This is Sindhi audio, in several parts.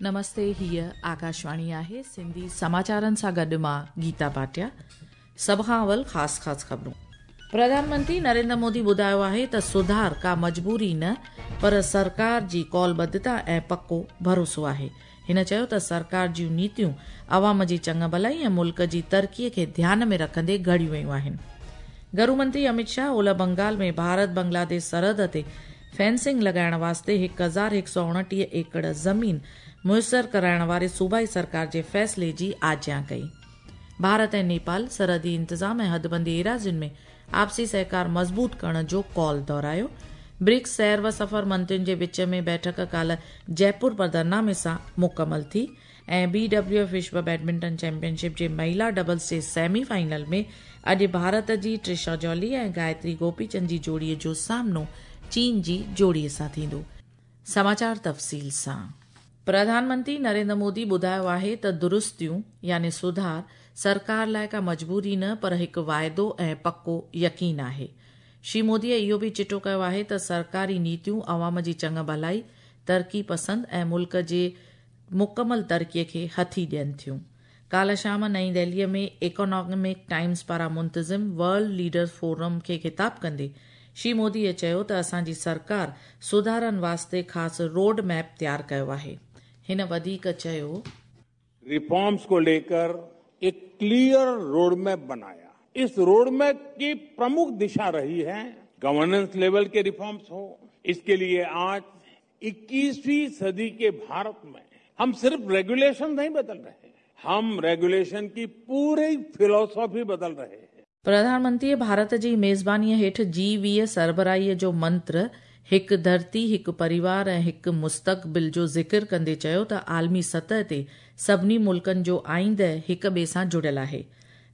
نمستي هيء آڪاشواڻي آهي سنڌي سماچارن سان گڏ مان گيتا ڀاٽيا سڀ کان اول خاص خاص خبرون پرڌان منتري نريندر مودي ٻڌايو آهي ته سڌار ڪا مجبوري نه پر سرڪار جي قولبڌتا ۽ پڪو ڀروسو آهي هن چيو ته سرڪار جون نيتيون عوام جي چڱ ڀلائي ۽ ملڪ جي ترقي کي ڌيان ۾ رکندي گهڙيون ويون آهن. گهرو منتري اميت شاهه اولهه بنگال ۾ ڀارت بنگلاديش سرحد تي فينسنگ لڳائڻ واسطي 1129 ايڪڙ زمين ميسر ڪرائڻ واري صوبائي سرڪار جي فيصلي جي آجيان ڪئي. ڀارت ۽ نيپال سرحدي انتظام ۽ حدبندي ايراضين ۾ آپسي سهڪار مضبوط ڪرڻ جو قول دهرايو. برڪس سير و سفر منترين جي وچ ۾ بيٺڪ ڪالهه جئپور پڌرنامي سان مڪمل ٿي ۽ بي ڊبليو ايف وشو بيڊمنٽن چيمپيئن شپ جي مهيلا ڊبلز جي سيمي فائنل ۾ اڄ ڀارت جي ٽرشا جولي ۽ گايتري گوپيچند جي جوڙي جو سامنو چين جي جوڙي سان ٿيندو. سماچار تفصيل سان. پرڌان منتري نريندر مودي ٻڌايو آهي ته درستيون يعني سڌار سرڪار لاء ڪا مجبوري نه پر هڪ واعدو ۽ پڪو يقين آهي. شري موديء اهو به چٽو ڪيو آهي ته سرڪاري نيتيون عوام جي چڱ ڀلائي، ترقي پسند ۽ ملڪ جي مڪمل ترقي کي هٿي ڏين ٿيون. ڪالهه شام نئين دهليء ۾ ايڪانامڪ ٽائيمز پاران منتظم ورلڊ ليڊرز فورم کي خطاب ڪندي شري موديء چيو ته اسان جي سرڪار سڌارن واسطي خاص روڊ ميپ تيار ڪيو آهي. هن وڌيڪ چيو. ريفارمز کو ليڪر ايڪ ڪليئر روڊ ميپ بنايا. اس روڊ ميپ ڪي پرمک دشا رهي هي گورننس ليول ڪي ريفارمز هو. اس ڪي ليي آج 21वीं सदी के भारत में हम सिर्फ रेगुलेशन नहीं बदल रहे हम रेगुलेशन की पूरी फिलॉसफी बदल रहे हैं. پرڌان منتريء ڀارت جي ميزبانيء هيٺ جي 20 سربراهيء جو منتر هڪ ڌرتي، هڪ پريوار ۽ هڪ مستقبل جو ذڪر ڪندي چيو ته عالمي سطح تي سڀني ملڪن جو آئينده هڪ ٻئي سان جڙيل آهي.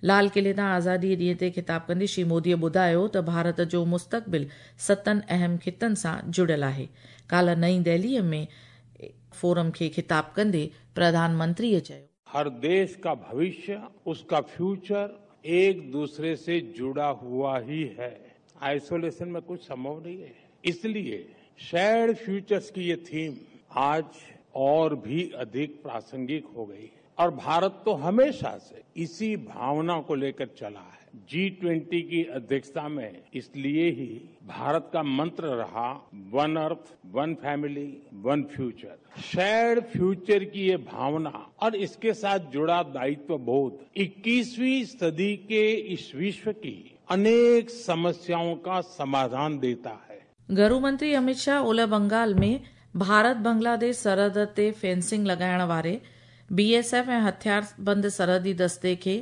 لال قلعي تان آزاديء ڏينهن تي خطاب ڪندي شري موديء ٻڌايو ته ڀارت جو مستقبل ستن اهم خطن سان جڙيل آهي. ڪالهه نئين دهليء ۾ فورم کي خطاب ڪندي پرڌان منتريء چيو. هر ديش ڪا ڀوشيه، اس ڪا فيوچر ايڪ دوسري سي جڙا هوا هي هي. آئسوليشن ۾ ڪجهه سنڀو نهين هي. اس ليي شيئرڊ فيوچرز ڪي يي ٿيم آج اور ڀي اڌيڪ پراسنگڪ هو گئي هي. اور بھارت تو ھميشه سي اسی بھاونا کو ليڪر چلا ھي. جي ٽوئنٽي ڪي ادھيڪشتا مين اس ليي ھي بھارت ڪا منتر رھا one earth, one family, one future. Shared future ڪي يي بھاونا اور اس ڪي ساتھ جڙا دائتو بودھ اڪيسوين صدي ڪي اس وشو ڪي انيڪ سمسيائون ڪا سماڌان ديتا ھي. گهرو منتري اميت شاهه اولهه بنگال ۾ ڀارت بنگلاديش سرحد تي فينسنگ لڳائڻ واري بي ايس ايف ۽ هٿياربند سرحدي دستي کي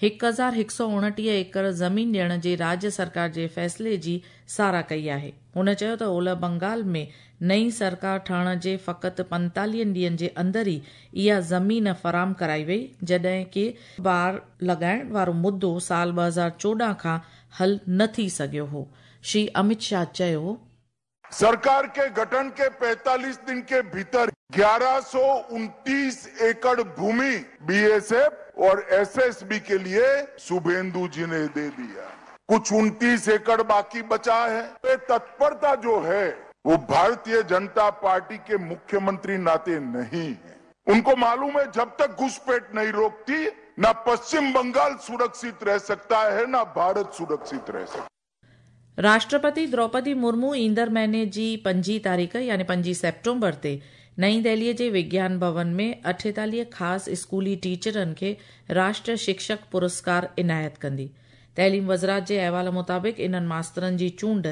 1129 ايڪڙ زمين ڏيڻ جي راڄ سرڪار جي فيصلي جي ساراهه ڪئي آهي. هن چيو ته اولهه بنگال ۾ نئين سرڪار ٺهڻ جي فقط پنتاليهن ڏينهن جي اندر ئي اها زمين فراهم ڪرائي وئي جڏهن ڪي باڙ لڳائڻ وارو مدو سال 2014 کان حل نه ٿي سگهيو هو. شري اميت شاهه چيو. سرڪار ڪي گٺن ڪي 45 دن ڪي ڀيتر 1129 ايڪڙ ڀومي بي ايس ايف اور ايس ايس بي ڪي ليي سوڀيندو جي ني the ديا. ڪڇ 29 ايڪڙ باقي بچا هي. يي تتپرتا جو هي وو ڀارتيه جنتا پارٽي ڪي مکيه منتري ناتي نهين هي. انڪو معلوم هي جب تڪ گهسپيٺ نهين روڪتي نا پشچم بنگال سرڪشت رهه سڪتا هي نا ڀارت سرڪشت رهه سڪتا. راشٽرپتي دروپدي مرمو ايندڙ مهيني جي پنجين تاريخ يعني پنجين سيپٽمبر تي نئين دهليء جي وگيان ڀون ۾ 48 خاص اسڪولي ٽيچرن کي راشٽر شڪشڪ پرسڪار عنايت ڪندي. تعليم وزارت جي احوال مطابق انهن ماسترن جي چونڊ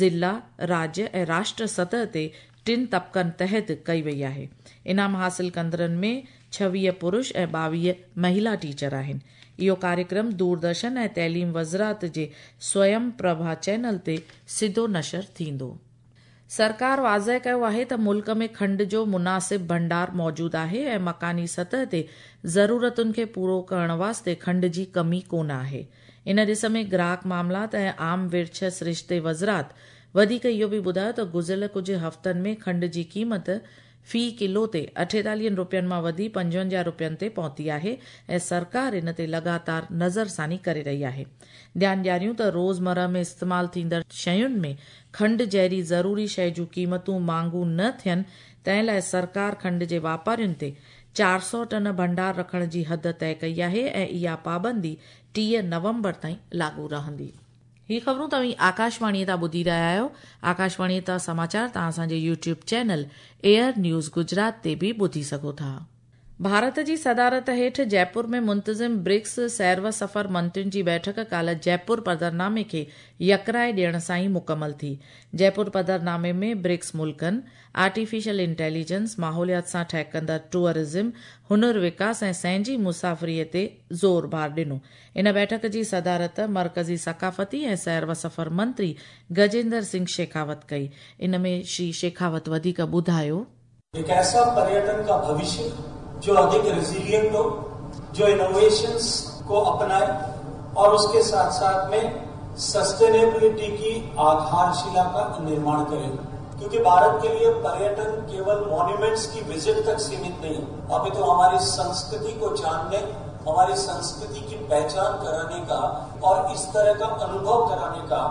ضلع، راڄ ۽ راشٽر سطح تي ٽن طبقن تحت ڪئي وئي آهي. انعام حاصل ڪندڙن ۾ 26 پرش ۽ 22 مهيلا ٽيچر آهن. اهو ڪاريڪرم دوردرشن ۽ تعليم وزارت جي سويم پرڀا چينل تي سڌو نشر ٿيندو. سرڪار واضح ڪيو آهي ته ملڪ ۾ کنڊ جو مناسب ڀنڊار موجود آهي ۽ مڪاني سطح تي ضرورتن کي پورو ڪرڻ واسطي کنڊ جي ڪمي ڪونه آهي. ان ڏس ۾ گراهڪ معاملات ۽ عام ورڇ سرشتي وزارت وڌيڪ اهو به ٻڌايو ته گذريل ڪجهه هفتن ۾ کنڊ جي قيمت في ڪلو تي 48 رپين مان وڌي 55 رپين تي پهتي آهي ۽ سرڪار ان تي لڳاتار نظرثاني ڪري رهي آهي. ڌيان ڏياريون ته روزمره ۾ استعمال ٿيندڙ شين ۾ کنڊ جهڙي ضروري شيء جون قيمتون مهانگون نه ٿين تنهن لاء سرڪار کنڊ جي واپارين تي 400 ٽن ڀنڊار رکڻ جي حد طئي ڪئي آهي ۽ اها پابندي 30 نومبر تائين لاڳو رهندي. هي خبرون توهين آڪاشواڻيء تان ٻڌي رهيا آهيو. آڪاشواڻيء تان سماچار توهان اسان جي YouTube channel AIR news Gujarat تي به ٻڌي سگهو ٿا. ڀارت جي صدارت هيٺ جئپور ۾ منتظم برڪس سير و سفر منترين جي بيٺڪ ڪالهه جئپور پڌرنامي کي يڪراء ڏيڻ سان ئي مڪمل ٿي. جئپور پڌرنامي ۾ برڪس ملڪن آرٽيفيشل انٽيليجنس، ماحوليات سان ٺهڪندڙ ٽوئرزم، هنر وڪاس ۽ سهنجي مسافريء تي زور ڀار ڏنو. ان بيٺڪ جي صدارت مرڪزي ثقافتي ۽ سير و سفر منتري گجيندر سنگهه شيخاوت ڪئي. ان ۾ شري شيخاوت وڌيڪ ٻڌايو. هڪ ايسا پريٽن کا ڀوشيه جو اڌڪ ريزيلينٽ هو، جو انوويشنز ڪو اپنائي اور اس ڪي ساٿ ساٿ ۾ سسٽينيبلٽي ڪي آڌارشلا کا نرماڻ ڪري. ڪيونڪه ڀارت ڪي ليي پريٽن ڪيول مونيومينٽس ڪي وزٽ تڪ سيمت نهين هي، اڀي تو هماري سنسڪرتي ڪو جانني، هماري سنسڪرتي ڪي پهچان ڪراني ڪا اور اس طرح ڪا انوڀو ڪراني ڪا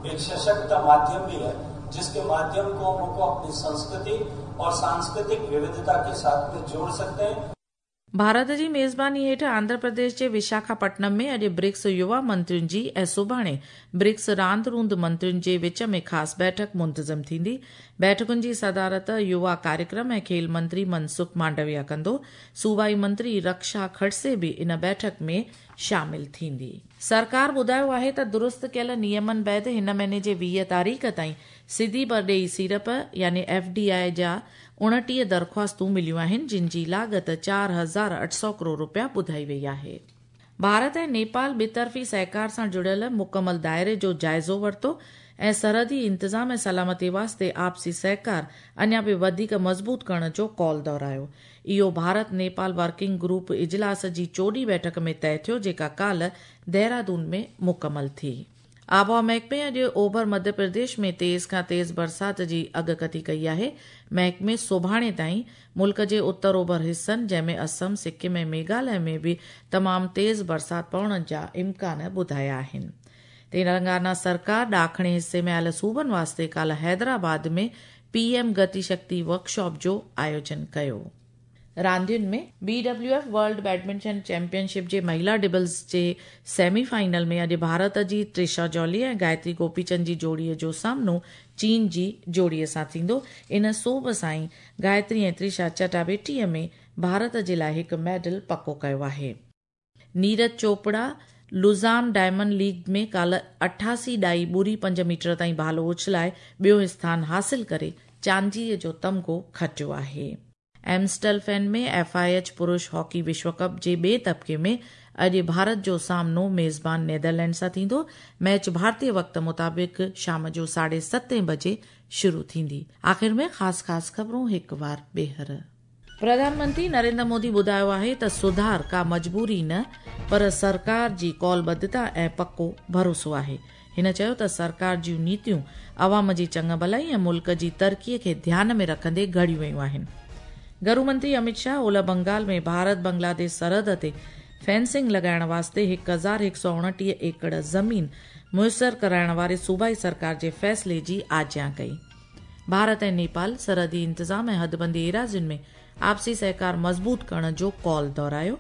ايڪ سشڪت ماڌيم ڀي هي، جس ڪي ماڌيم ڪو هم ڪو اپني سنسڪرتي اور سانسڪرتڪ ووڌتا ڪي ساٿ ۾ جوڙ سڪتي هين. ڀارت جي ميزباني هيٺ آنڌرا پرديش جي وشاکاپٽنم ۾ اڄ برڪس يووا منترين جي ۽ سڀاڻي برڪس راند روند منترين جي وچ ۾ خاص بيٺڪ منتظم ٿيندي. بيٺڪن جي صدارت يووا ڪاريڪرم ۽ کيل منتري منسک مانڊويا ڪندو. صوبائي منتري رڪشا کڙسي به ان بيٺڪ ۾ شامل ٿيندي. سرڪار ٻڌايو آهي ته درست ڪيل نيمن بعد هن مهيني جي 20 تاريخ تائين سڌي پرڏيهي سيڙپ يعني ايف ڊي I جا 29 درخواستون مليون آهن جن جي لاڳت 4800 ڪروڙ رپيا ٻڌائي وئي آهي. ڀارت ۽ نيپال ٻطرفي سهڪار سان جڙيل مڪمل دائري جو جائزو ورتو ۽ سرحدي انتظام ۽ سلامتي واسطي آپسي سهڪار اڃا به وڌيڪ مضبوط ڪرڻ جو قول دهرايو. اهو ڀارت نيپال ورڪنگ گروپ اجلاس جي چوڏهين بيٺڪ ۾ طئي ٿيو جيڪا ڪالهه دهرادون ۾ مڪمل ٿي. آبهوا محڪمي اڄ اوڀر مڌيه پرديش ۾ تيز کان تيز برسات جي اڳڪٿي ڪئي آهي. محڪمي سڀاڻي تائين ملڪ جي اتر اوڀر حصن جنهن ۾ اسم، سڪم ۽ ميگهاليه ۾ به تمام تيز برسات پوڻ جا امڪان ٻڌايا آهن. تيلنگانا سرڪار ڏاکڻي حصي ۾ آيل صوبن واسطي ڪالهه حيدرآباد ۾ پي ايم گتي شڪتي ورڪشاپ جو آيوجن ڪيو. راندين ۾ B W F world badminton championship جي مهيلا ڊبلز جي سيمي فائنل ۾ اڄ ڀارت جي تريشا جولي ۽ گايتري گوپيچند جي جوڙي جو سامنو چين جي جوڙي سان ٿيندو. ان سوڀ سان ئي گايتري ۽ تريشا چٽاڀيٽي ۾ ڀارت جي لاء هڪ ميڊل پڪو ڪيو آهي. Neeraj Chopra Lausanne diamond league ۾ ڪالهه اٺاسي ڏائي ٻڙي پنج ميٽر تائين ڀالو اڇلائي ٻيون اسٿان حاصل ڪري چانديء جو تمغو کٽيو آهي. ايمسٽلفين ۾ ايف I H پرش هاڪي وشو ڪپ جي ٻئي طبقي ۾ اڄ ڀارت جو سامنو ميزبان نيدرلينڊ سان ٿيندو. ميچ ڀارتي وقت مطابق شام جو ساڍي ستين بجي شروع ٿيندي. آخر ۾ خاص خاص خبرون هڪ وار ٻيهر. پرڌان منتري نريندر مودي ٻڌايو آهي ته سڌار ڪا مجبوري نه پر سرڪار جي قولبڌتا ۽ پڪو ڀروسو آهي. هن چيو ته سرڪار جون نيتيون عوام جي چڱ ڀلائي ۽ ملڪ جي ترقي کي ڌيان ۾ رکندي گهڙيون ويون آهن. گهرو منتري اميت شاهه اولهه بنگال ۾ ڀارت بنگلاديش سرحد تي فينسنگ لڳائڻ واسطي 1129 ايڪڙ زمين ميسر ڪرائڻ واري صوبائي سرڪار جي فيصلي جي آجيان ڪئي. ڀارت ۽ نيپال سرحدي انتظام ۽ حدبندي ايراضين ۾ آپسي سهڪار مضبوط ڪرڻ جو قول دهرايو.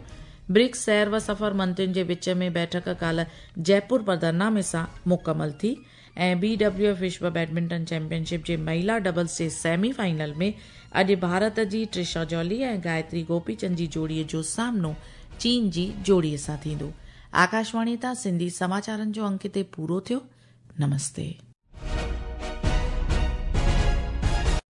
برڪس سير و سفر منترين جي وچ ۾ بيٺڪ ڪالهه جئپور پڌرنامي سان مڪمل ٿي ۽ بي ڊبليو ايف وشو بيڊمنٽن چيمپيئن شپ جي مهيلا ڊبلز جي سيمي فائنل ۾ اڄ ڀارت جي ٽرشا جولي ۽ گايتري گوپيچند جي جوڙي جو سامنو چين جي جوڙي سان ٿيندو. آڪاشواڻي تان سنڌي سماچارن جو انڪ هتي پورو ٿيو. نمستي.